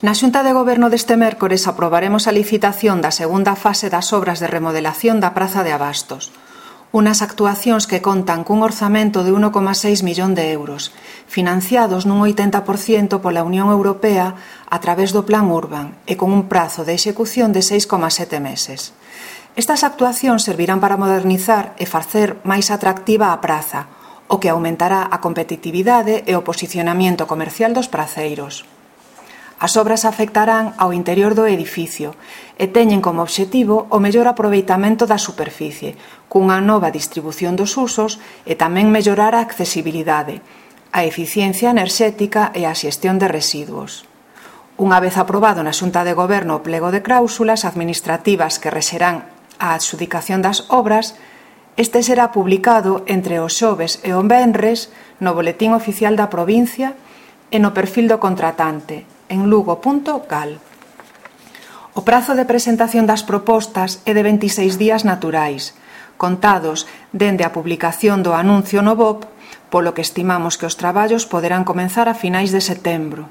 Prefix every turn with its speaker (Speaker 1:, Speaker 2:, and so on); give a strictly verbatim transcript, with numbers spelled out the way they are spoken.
Speaker 1: Na Xunta de Goberno deste mércores aprobaremos a licitación da segunda fase das obras de remodelación da Praza de Abastos. Unas actuacións que contan cun orzamento de un coma seis millón de euros, financiados nun oitenta por cento pola Unión Europea a través do Plan Urban e con un prazo de execución de seis coma sete meses. Estas actuacións servirán para modernizar e facer máis atractiva a praza, o que aumentará a competitividade e o posicionamento comercial dos praceiros. As obras afectarán ao interior do edificio e teñen como obxectivo o mellor aproveitamento da superficie, cunha nova distribución dos usos e tamén mellorar a accesibilidade, a eficiencia enerxética e a xestión de residuos. Unha vez aprobado na Xunta de Goberno o plego de cláusulas administrativas que rexerán a adxudicación das obras, este será publicado entre o xoves e o venres no Boletín Oficial da Provincia e no perfil do contratante, en lugo punto gal. O prazo de presentación das propostas é de veintiséis días naturais, contados dende a publicación do anuncio no B O P, polo que estimamos que os traballos poderán comenzar a finais de setembro.